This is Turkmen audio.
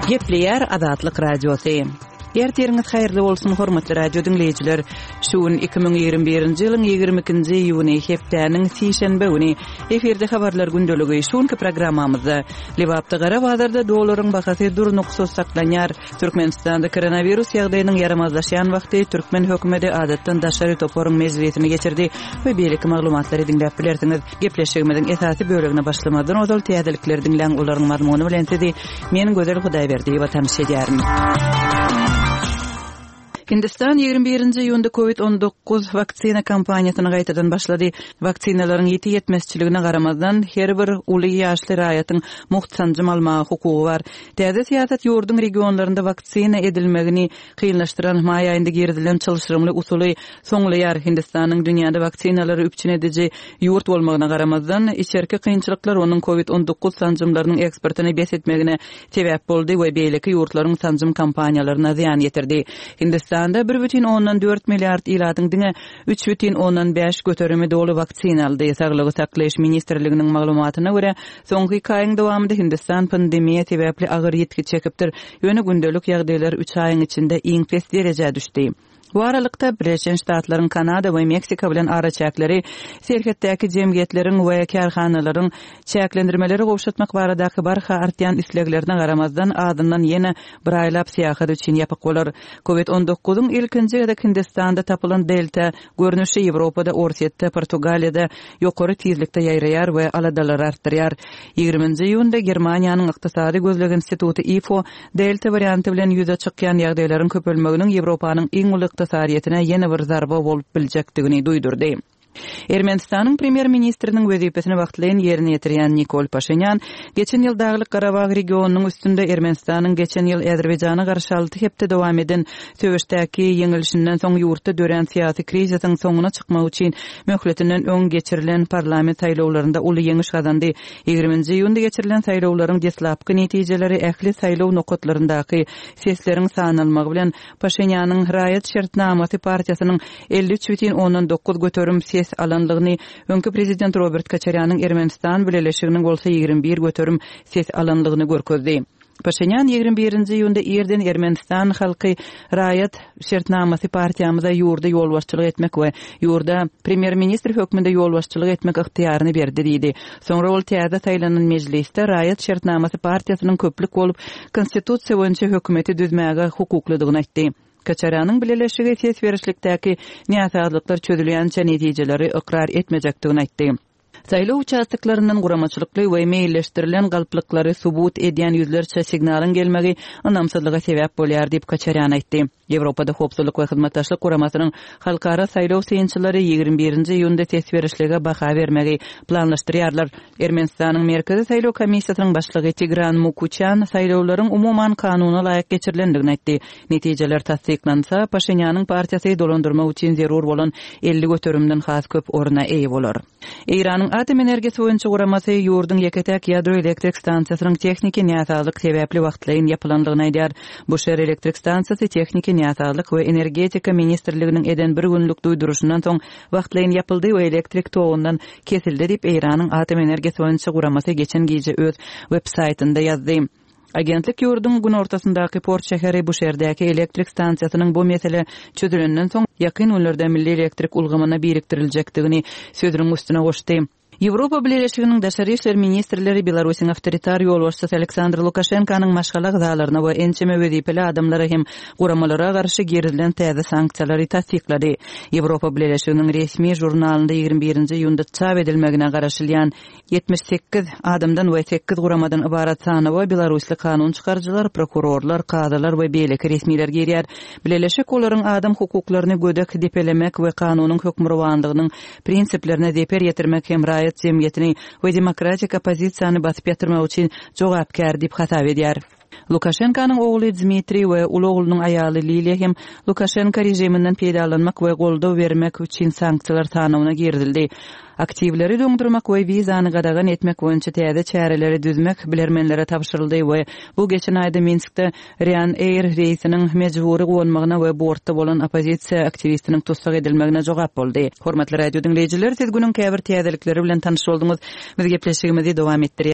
Gepleýär Azatlyk Radiosy. Ertiriňiz haýyrly bolsun, hormatly radio diňleýjiler. Şu gün 2021-nji ýylyň 22-nji iýuny, hepdäniň sişenbe güni. Efirde habarlar gündeligi. Şu günki programmamyzda Lebapda gara bazarda dollaryň bahasy durnuksyz saklanýar. Türkmenistanda koronawirus ýagdaýynyň ýaramazlaşýan wagty türkmen hökümeti adatdan daşary toparyň mejlisini geçirdi we beýleki maglumatlary diňläp bilersiňiz. Gepleşigimiziň esasy bölegine başlamazdan ozal täzelikleri diňläň, olaryň mazmuny bilen sizi men Gözel Hudaýberdiýewa tanyş edýärin. Hindistan 21-nji iýunda Covid 19 waksina kampaniýasyny gaýtadan başlady. Waksinalaryň ýiti ýetmezçiligine garamazdan, her bir uly ýaşly raýatyň mugt sanjym almaga hukugy bar. Täze syýasat ýurduň regionlarynda waksina edilmegini kynlaşdyran maý aýynda girizilen çylşyrymly usuly soňlaýar. Hindistanyň dünýäde waksinalary üpjün ediji ýurt bolmagyna garamazdan, içerki kynçylyklar onuň Covid 19 sanjymlarynyň eksportyny bes etmegine sebäp boldy we beýleki ýurtlaryň sanjym kampaniýalaryna zyýan ýetirdi. Hindistanda 1,4 milliard ilatyň diňe 3,5 göterimi doly waksina aldy. Saglygy saklaýyş ministrliginiň maglumatyna görä, soňky iki aýyň dowamynda Hindistan pandemiýa sebäpli agyr ýitgi çekipdir, ýöne gündelik ýagdaýlar üç aýyň içinde iň pes derejä düşdi. Bu aralykda, Birleşen Ştatlaryň Kanada we Meksika bilen araçäkleri serhetdäki jemgyýetleriň we kärhanalaryň çäklendirmeleri gowşatmak baradaky barha artýan isleglerine garamazdan, azyndan ýene bir aýlap syýahat üçin ýapyk bolar. Covid on dokuzyň ilkinji gezek Hindistanda tapylan Delta görnüşi Ýewropada, Orsýetde, Portugaliýada ýokary tizlikde ýaýraýar we aladalary artdyrýar. Ýigriminji iýunda Germaniýanyň Ykdysady gözleg instituty ifo Delta warianty bilen ýüze çykýan ýagdaýlaryň köpelmeginiň Ýewropanyň iň uly ykdysadyýetine ýene bir zarba bolup biljekdigini duýdurdy. Ermenistanyň premýer-ministriniň wezipesini wagtlaýyn ýerine ýetirýän Nikol Paşinýan geçen ýyl Daglyk-Garabag regionynyň üstünde Ermenistanyň geçen ýyl Azerbaýjana garşy alty hepde dowam eden söweşdäki ýeňilişinden soň ýurtda dörän syýasy krizisiň soňuna çykmak üçin möhletinden öň geçirilen parlament saýlawlarynda uly ýeňiş gazandy. Ýigriminji iýunda geçirilen saýlawlaryň deslapky netijeleri ähli saýlaw nokatlaryndaky sesleriň sanalmagy bilen Paşinýanyň Raýat şertnamasy partiýasynyň 53,9 göterim ses alanlygyny, öňki prezident Robert Koçarýanyň Ermenistan bileleşiginiň bolsa 21 göterim ses alanlygyny görkezdi. Paşinýan 21-nji iýunda irden Ermenistan halky Raýat şertnamasy partiýamyza ýurda ýolbaşçylyk etmek we ýurda premýer-ministr hökmünde ýolbaşçylyk etmek ygtyýaryny berdi diýdi. Soňra ol täze saýlanan mejlisde Raýat şertnamasy partiýasynyň köplük bolup konstitusiýa boýunça hökümeti düzmäge hukuklydygyny aýtdy. Koçarýanyň bileleşigi ses berişlikdäki näsazlyklar çözülýänçä netijeleri ykrar etmejekdigini aýtdy. Saýlaw uçastoklaryndan guramaçylykly we meýilleşdirilen galplyklary subut edýän ýüzlerçe signalyň gelmegi ynamsyzlyga sebäp bolýar diýip, Koçarýan aýtdy. Ýewropada Howpsuzlyk we Hyzmatdaşlyk Guramasynyň halkara saýlaw synçylary 21-nji iýunda ses berişlige baha bermegi planlaşdyrýarlar. Ermenistanyň Merkezi saýlaw komissiýasynyň başlygy Tigran Mukuçýan saýlawlaryň umuman kanuna laýyk geçirilendigini aýtdy. Netijeler tassyklansa, Paşinýanyň partiýasy dolandyrmak üçin zerur bolan 50 göterimden has köp orna eýe bolar. Eýranyň Atom energiýasy boýunça guramasy ýurduň ýeke-täk ýadro elektrik stansiýasynyň tehniki näsazlyk sebäpli wagtlaýyn ýapylandygyny aýdýar. Buşer elektrik stansiýasy tehniki näsazlyk we Energetika ministrliginiň eden bir günlük duýduryşyndan soň wagtlaýyn ýapyldy we elektrik togundan kesildi diýip, Eýranyň Atom energiýasy boýunça guramasy geçen gije öz web-saýtynda ýazdy. Agentlik ýurduň günortasyndaky port şäheri Buşerdäki elektrik stansiýasynyň bu mesele çözülenden soň, ýakyn günlerde milli elektrik ulgamyna biriktiriljekdigini sözüniň üstüne goşdy. Ýewropa Bileleşiginiň daşary işler ministrleri Belarusyň awtoritar ýolbaşçysy Aleksandr Lukaşenkanyň maşgala agzalaryna we ençeme wezipeli adamlara hem guramalara garşy girizilen täze sanksiýalary tassyklady. Ýewropa Bileleşiginiň resmi žurnalynda 21-nji iýunda çap edilmegine garaşylýan 78 adamdan we sekiz guramadan ybarat sanawa belarusly kanun çykaryjylar, prokurorlar, kazylar we beýleki resmiler girýär. Bileleşik olaryň adam hukuklaryny gödek depelemek we kanunyň hökmürowanlygynyň prinsiplerine zeper ýetirmek hem raýat jemgyýetini we demokratik oppozisiýany basyp ýatyrmak üçin jogapkär diýip hasap edýär. Lukaşenkanyň ogly Dmitriý we uly oglunyň aýaly Liliýa hem Lukaşenka režiminden peýdalanmak we goldaw bermek üçin sanksiýalar sanawyna girizildi. Aktiwleri doňdurmak we wizany gadagan etmek boýunça täze çäreleri düzmek bilermenlere tabşyryldy we bu geçen aýda Minskde Ryanair reýsiniň mejbury gonmagyna we bortda bolan oppozisiýa aktiwistiniň tussag edilmegine jogap boldy. Hormatly radio diňleýjiler, siz günüň käbir täzelikleri bilen tanyş bolduňyz. Biz gepleşigimizi dowam etdirýäris.